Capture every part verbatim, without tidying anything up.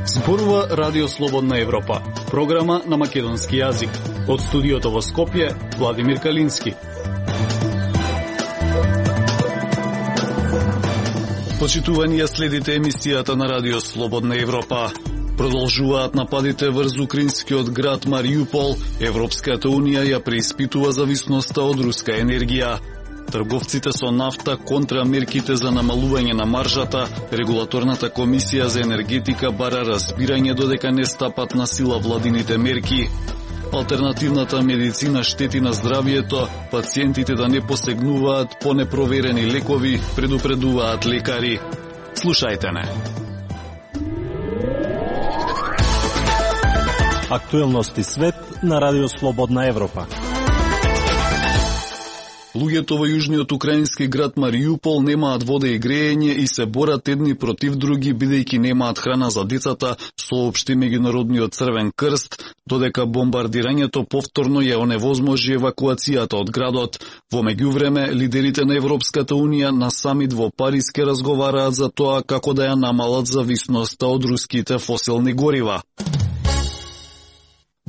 Зборува Радио Слободна Европа, програма на македонски јазик. Од студиото во Скопје, Владимир Калински. Почитувани ја следите емисијата на Радио Слободна Европа. Продолжуваат нападите врз украинскиот град Мариупол. Европската унија ја преиспитува зависноста од руска енергија. Трговците со нафта контра мерките за намалување на маржата, Регулаторната комисија за енергетика бара разбирање додека не стапат на сила владините мерки. Алтернативната медицина штети на здравието, пациентите да не посегнуваат по непроверени лекови, предупредуваат лекари. Слушајте не. Актуелности свет на Радио Слободна Европа. Луѓето во јужниот украински град Мариупол немаат вода и грејење и се борат едни против други бидејќи немаат храна за децата, соопшти Меѓународниот црвен крст, додека бомбардирањето повторно ја оневозможи евакуацијата од градот. Во меѓувреме, лидерите на Европската унија на самит во Париз ке разговараат за тоа како да ја намалат зависноста од руските фосилни горива.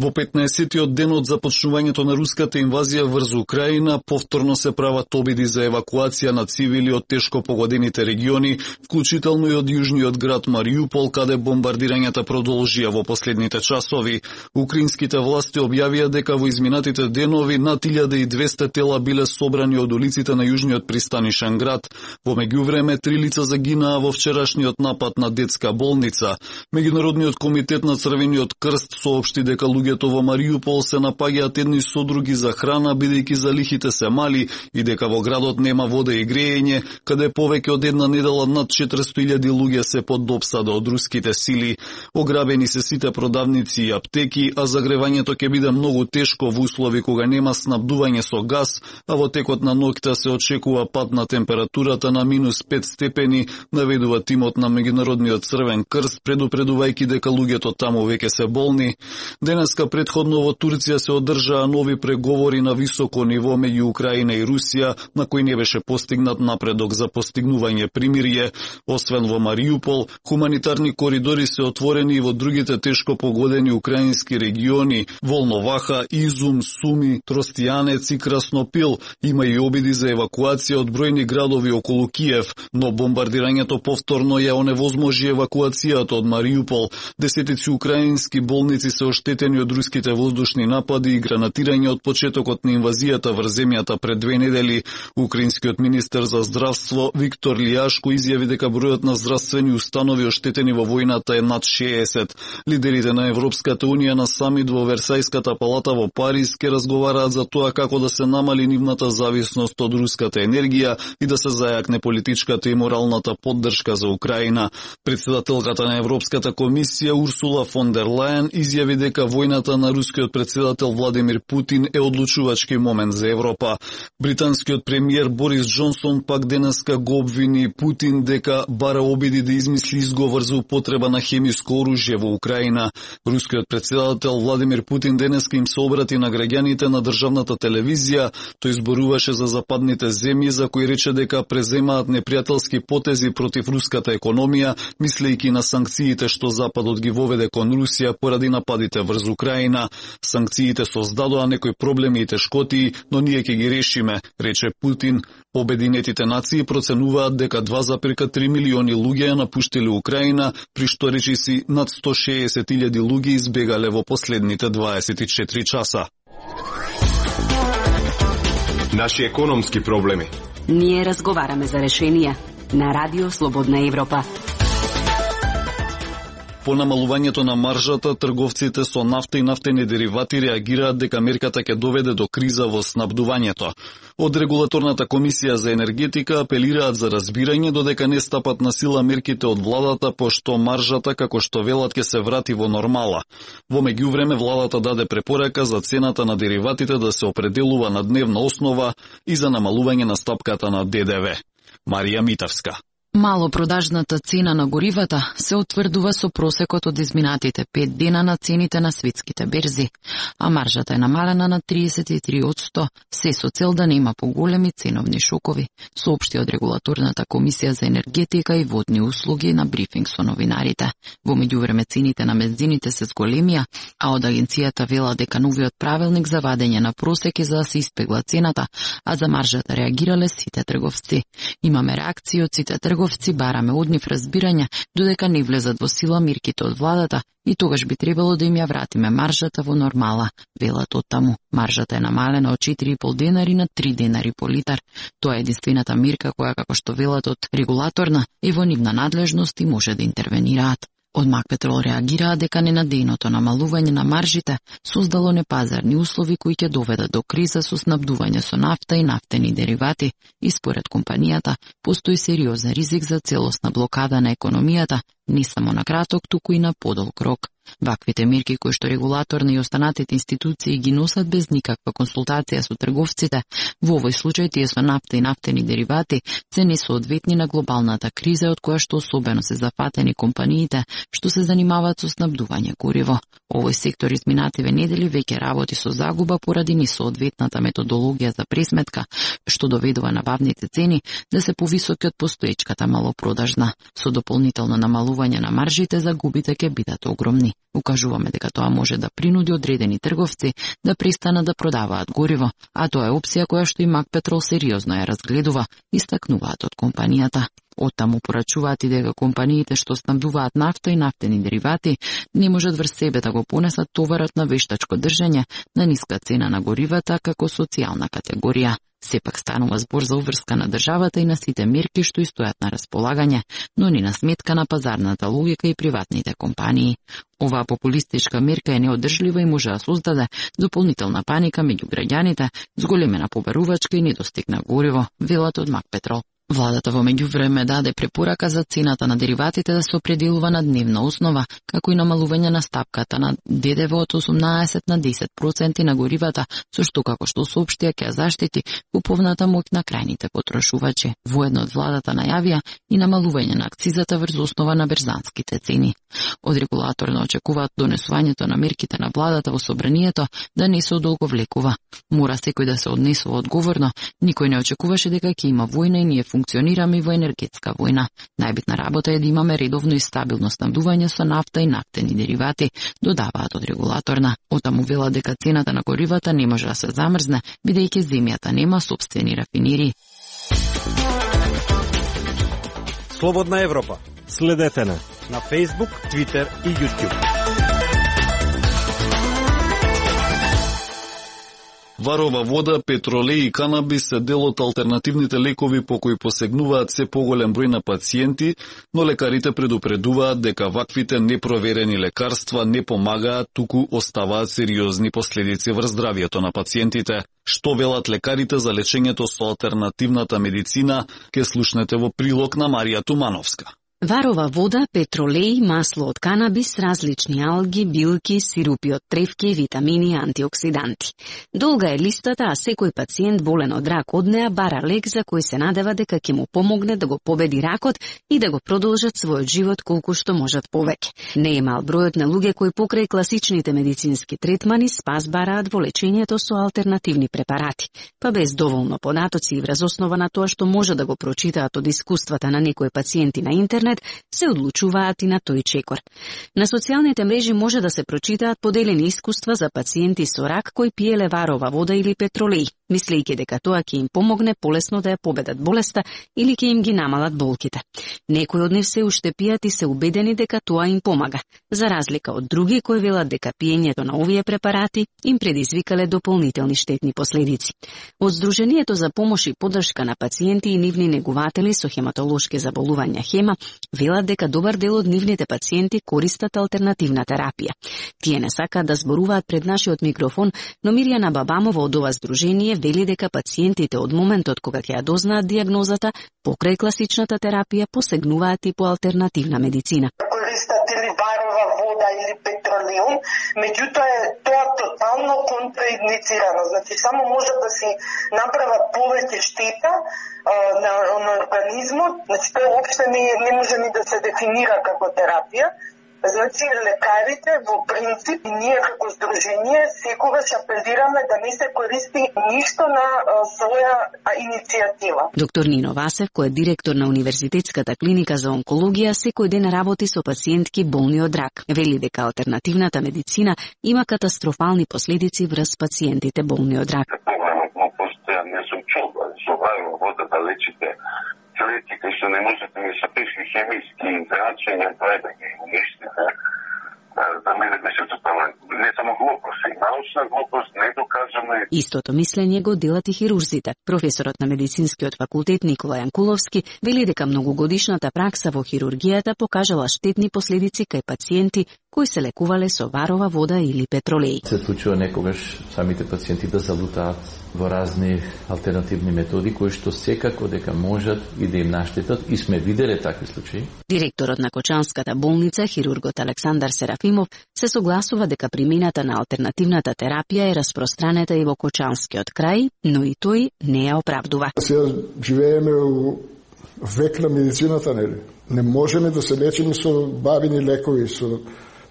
Во петнаесеттиот ден од започнувањето на руската инвазија врз Украина, повторно се прават обиди за евакуација на цивили од тешко погодените региони, вклучително и од јужниот град Мариупол, каде бомбардирањата продолжија во последните часови. Украинските власти објавија дека во изминатите денови над илјада и двесте тела биле собрани од улиците на јужниот пристанишен град. Во меѓувреме, три лица загинаа во вчерашниот напад на детска болница. Меѓународниот комитет на Црвениот крст соопшти дека луѓето во Мариупол се напаѓаат едни со други за храна, бидејќи залихите се мали и дека во градот нема вода и грејење, каде повеќе од една недела над четиристотини илјади луѓе се под допсада од руските сили. Ограбени се сите продавници и аптеки, а загревањето ќе биде многу тешко во услови кога нема снабдување со газ, а во текот на ноќта се очекува пад на температурата на минус пет степени, наведува тимот на Меѓународниот црвен крст, предупредувајќи дека луѓето таму веќе се болни. Денеска предходно во Турција се одржаа нови преговори на високо ниво меѓу Украина и Русија, на кои не беше постигнат напредок за постигнување примирие. Освен во Мариупол, хуманитарни коридори се отворени и во другите тешко погодени украински региони: Волноваха, Изум, Суми, Тростијанец и Краснопил. Има и обиди за евакуација од бројни градови околу Киев, но бомбардирањето повторно ја оневозможи евакуацијата од Мариупол. Десетици украински болници се оштетени од руските воздушни напади и гранатирање од почетокот на инвазијата врз земјата пред две недели. Украинскиот министер за здравство Виктор Лијашко изјави дека бројот на здравствени установи оштетени во војната е над шеесет. Лидерите на Европската унија на самит во Версајската палата во Париз ке разговараат за тоа како да се намали нивната зависност од руската енергија и да се зајакне политичката и моралната поддршка за Украина. Председателката на Европската комисија Урсула фон дер Лајен изјави дека војната на рускиот председател Владимир Путин е одлучувачки момент за Европа. Британскиот премиер Борис Џонсон пак денеска го обвини Путин дека бара обиди да измисли изговор за употреба на хемиско оружје во Украина. Рускиот председател Владимир Путин денеска им се обрати на граѓаните на државната телевизија. Тој зборуваше за западните земји за кои рече дека преземаат непријателски потези против руската економија, мислејќи на санкциите што Западот ги воведе кон Русија поради нападите врз Украина. Санкциите создадоа некои проблеми и тешкоти, но ние ќе ги решиме, рече Путин. Обединетите нации проценуваат дека два зарез три милиони луѓе ја напуштиле Украина, при што речиси над сто шеесет илјади луѓе избегале во последните дваесет и четири часа. Наши економски проблеми. Ние разговараме за решенија на Радио Слободна Европа. По намалувањето на маржата, трговците со нафта и нафтени деривати реагираат дека мерката ќе доведе до криза во снабдувањето. Од Регулаторната комисија за енергетика апелираат за разбирање додека не стапат на сила мерките од владата, пошто маржата, како што велат, ќе се врати во нормала. Во меѓувреме, владата даде препорака за цената на дериватите да се определува на дневна основа и за намалување на стапката на Д Д В. Марија Митавска. Малопродажната цена на горивата се утврдува со просекот од изминатите пет дена на цените на светските берзи, а маржата е намалена на триесет и три одсто, се со цел да нема поголеми ценовни шокови, соопшти од Регулаторната комисија за енергетика и водни услуги на брифинг со новинарите. Во меѓувреме цените на бензините се зголемија, а од агенцијата вела дека новиот правилник за вадење на просеки за да се испегла цената, а за маржата реагирале сите трговци. Имаме реакции од сите трговци, бараме од нив разбирање додека не влезат во сила мерките од владата и тогаш би требало да им ја вратиме маржата во нормала, велат од таму. Маржата е намалена од четири и пол денари на три денари по литар. Тоа е единствената мерка која, како што велат од регулаторна, е во нивна надлежност и може да интервенираат. Од Макпетрол реагираа дека ненадејното намалување на маржите создало непазарни услови кои ќе доведат до криза со снабдување со нафта и нафтени деривати и според компанијата постои сериозен ризик за целосна блокада на економијата, не само на краток, туку и на подолг рок. Ваквите мерки кои што регулаторни и останатите институции ги носат без никаква консултација со трговците, во овој случај тие со нафта и нафтени деривати, се несоодветни на глобалната криза од која што особено се зафатени компаниите што се занимаваат со снабдување гориво. Овој сектор изминативе недели веќе работи со загуба поради несоодветната методологија за пресметка, што доведува набавните цени да се повисоки од постоечката малопродажна. Со дополнително намалување на маржите загубите ќе бидат огромни. Укажуваме дека тоа може да принуди одредени трговци да престанат да продаваат гориво, а тоа е опција која што и Макпетрол сериозно ја разгледува, истакнуваат од компанијата. Оттаму порачуваат и дека компаниите што снабдуваат нафта и нафтени деривати не можат врз себе да го понесат товарот на вештачко држење на ниска цена на горивата како социјална категорија. Сепак станува збор за уврска на државата и на сите мерки што стојат на располагање, но не на сметка на пазарната логика и приватните компании. Оваа популистичка мерка е неодржлива и може да создаде дополнителна паника меѓу граѓаните, зголемена побарувачка и недостиг на гориво, велат од Макпетрол. Владата во меѓувреме даде препорака за цената на дериватите да се определува на дневна основа, како и намалување на стапката на ДДВ од осумнаесет на десет проценти на горивата, со што како што соопштија ќе заштити куповната моќ на крајните потрошувачи. Воедно од владата најавија и намалување на акцизата врз основа на берзанските цени. Од регулаторно очекуваат донесувањето на мерките на владата во собранието да не се одолговлекува. Мора секој да се однесува одговорно, никој не очекуваше дека ќе има војна и ние функционираме во енергетска војна. Најбитна работа е да имаме редовно и стабилно снабдување со нафта и нафтени деривати, додаваат од регулаторна. Отаму вела дека цената на горивата не може да се замрзне, бидејќи земјата нема сопствени рафинерии. Слободна Европа. Следете на на Facebook, Twitter и YouTube. Варова вода, петролеј и канабис се дел од алтернативните лекови по кои посегнуваат се поголем број на пациенти, но лекарите предупредуваат дека ваквите непроверени лекарства не помагаат, туку оставаат сериозни последици врз здравието на пациентите. Што велат лекарите за лечењето со алтернативната медицина, ке слушнете во прилог на Марија Тумановска. Варова вода, петролеј, масло од канабис, различни алги, билки, сирупи од тревки, витамини и антиоксиданти. Долга е листата, а секој пациент болен од рак од неа бара лек за кој се надева дека ќе му помогне да го победи ракот и да го продолжат својот живот колку што можат повеќе. Не е мал бројот на луѓе кои покрај класичните медицински третмани спас бараат во лечењето со алтернативни препарати, па без доволно податоци и врз основа на тоа што може да го прочитаат од искуствата на некои пациенти на интернет, се одлучуваат и на тој чекор. На социјалните мрежи може да се прочитаат поделени искуства за пациенти со рак кои пиеле варова вода или петролеј, мислејќи дека тоа ќе им помогне полесно да ја победат болеста или ќе им ги намалат болките. Некои од нив се уште пијат и се убедени дека тоа им помага, за разлика од други кои велат дека пиењето на овие препарати им предизвикале дополнителни штетни последици. Од Сдруженијето за помош и поддршка на пациенти и нивни негуватели со хематолошки заболувања Хема велат дека добар дел од нивните пациенти користат алтернативна терапија. Тие не сакаат да зборуваат пред нашиот микрофон, но Мирјана Бабамова од ова здружение вели дека пациентите од моментот кога ќе ја дознаат дијагнозата, покрај класичната терапија посегнуваат и по алтернативна медицина. користат или барова вода или петролеум, меѓутоа е тоа тотално контраиндицирано. Значи само може да се направат повеќе штета а, на, на организмот, значи тоа уопште не, не може ни да се дефинира како терапија. Значи, лекарите во принцип и ние како здружение секогаш апелираме да не се користи ништо на а, своја а, иницијатива. Доктор Нино Васев, кој е директор на Универзитетската клиника за онкологија, секој ден работи со пациентки болни од рак. Вели дека алтернативната медицина има катастрофални последици врз пациентите болни од рак. Не сум чул со барова вода да лечите клетки кои што не можете ни со тешки хемиски интеракции не прави да ги уништите. За мене беше тотално не само глупост, и научна глупост, не докажано. Истото мислење го делат и хирурзите. Професорот на медицинскиот факултет Никола Јанкуловски вели дека многогодишната пракса во хирургијата покажала штетни последици кај пациенти кои се лекувале со варова вода или петролеј. Се случува некогаш самите пациенти да залутаат во разни алтернативни методи кои што секако дека можат и да им наштетат, и сме виделе такви случаи. Директорот на Кочанската болница, хирургот Александар Серафимов, се согласува дека примената на алтернативната терапија е распространета и во Кочанскиот крај, но и тој не ја оправдува. Сега живееме у век на медицината, нели? Не можеме да се лечиме со бабини лекови, со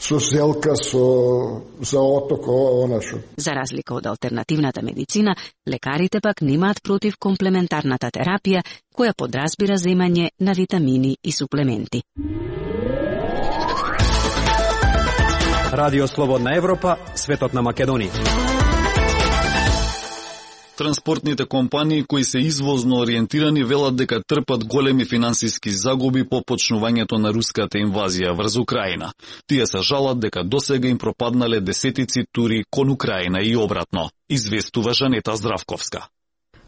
со зелка, со заоток, она шо. За разлика од алтернативната медицина, лекарите пак немаат против комплементарната терапија, која подразбира земање на витамини и суплементи. Радио Слободна Европа, светот на Македонија. Транспортните компании кои се извозно ориентирани велат дека трпат големи финансиски загуби по почнувањето на руската инвазија врз Украина. Тие се жалат дека досега им пропаднале десетици тури кон Украина и обратно, известува Жанета Здравковска.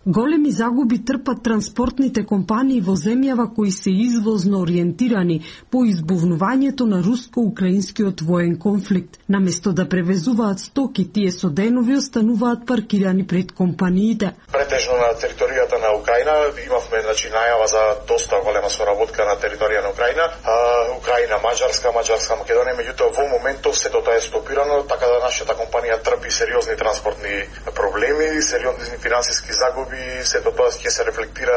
Големи загуби трпат транспортните компании во земјава кои се извозно ориентирани по избувнувањето на руско-украинскиот воен конфликт. Наместо да превезуваат стоки, тие со денови остануваат паркирани пред компаниите. Претежно на територијата на Украина имавме значи најава за доста голема соработка на територија на Украина, а, Украина, Маđarска, Маđarска, Македонија, меѓутоа во моментов сето тоа е стопирано, така да нашата компанија трпи сериозни транспортни проблеми, сериозни финансиски загуби. Сето тоа ќе се рефлектира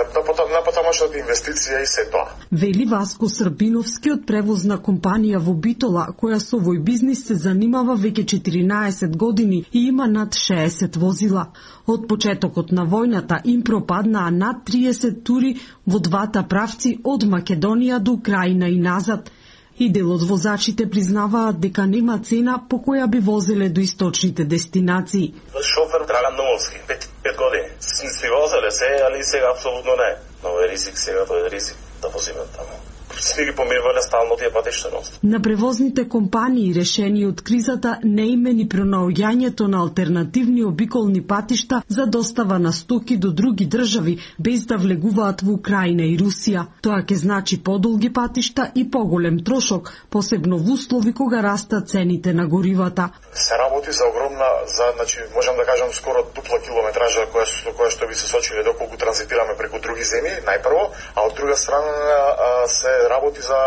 на потомошната инвестиција и се тоа. Вели Васко Србиновски од превозна компанија во Битола, која со овој бизнис се занимава веќе четиринаесет години и има над шеесет возила. Од почетокот на војната им пропаднаа над триесет тури во двата правци од Македонија до Украина и назад. И дел од возачите признаваат дека нема цена по која би возеле до источните дестинации. Шофер трагам новоски, пет години. Си возеле се, али сега апсолутно не. Но е ризик сега, тоа е ризик да возиме таму. Сви ги помирвале стално тие патишта нос. На превозните компании решени од кризата не имени пронаоѓањето на алтернативни обиколни патишта за достава на стоки до други држави без да влегуваат во Украина и Русија. Тоа ќе значи подолги патишта и поголем трошок, посебно во услови кога растат цените на горивата. Се работи за огромна, за значи можам да кажам скоро дупла километража која што која што би се сочиле доколку транзитираме преку други земји, најпрво, а од друга страна а, се работи за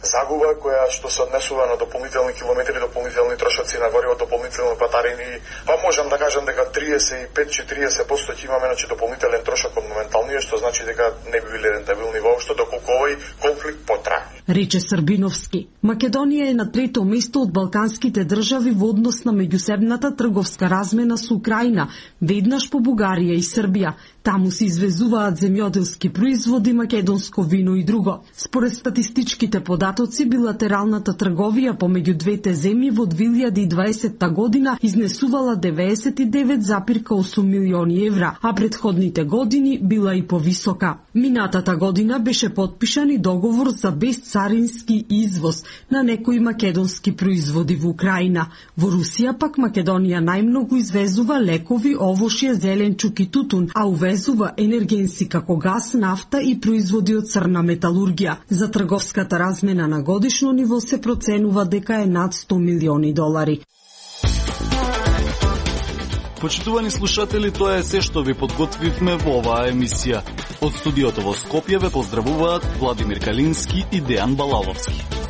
загуба која што се однесува на дополнителни километри, дополнителни трошоци на гориво, дополнителни патарини. Па можам да кажам дека триесет и пет до четириесет проценти ќе имаме значи дополнителен трошок од моменталниот, што значи дека не би биле рентабилни воопшто доколку овој конфликт потрае. Рече Србиновски. Македонија е на трето место од балканските држави во однос на меѓусебната трговска размена со Украина, веднаш по Бугарија и Србија. Таму се извезуваат земјоделски производи, македонско вино и друго. Според статистичките податоци, билатералната трговија помеѓу двете земји во две илјади и дваесетта година изнесувала деветдесет и девет зарез осум милиони евра, а предходните години била и повисока. Минатата година беше подпишан и договор за безцарински извоз на некои македонски производи во Украина. Во Русија пак Македонија најмногу извезува лекови, овошје, зеленчук и тутун, а увезува енергенси како газ, нафта и производи од црна металургија. За трговската размена на годишно ниво се проценува дека е над сто милиони долари. Почитувани слушатели, тоа е се што ви подготвивме во оваа емисија. Од студиото во Скопје ве поздравуваат Владимир Калински и Дејан Балаловски.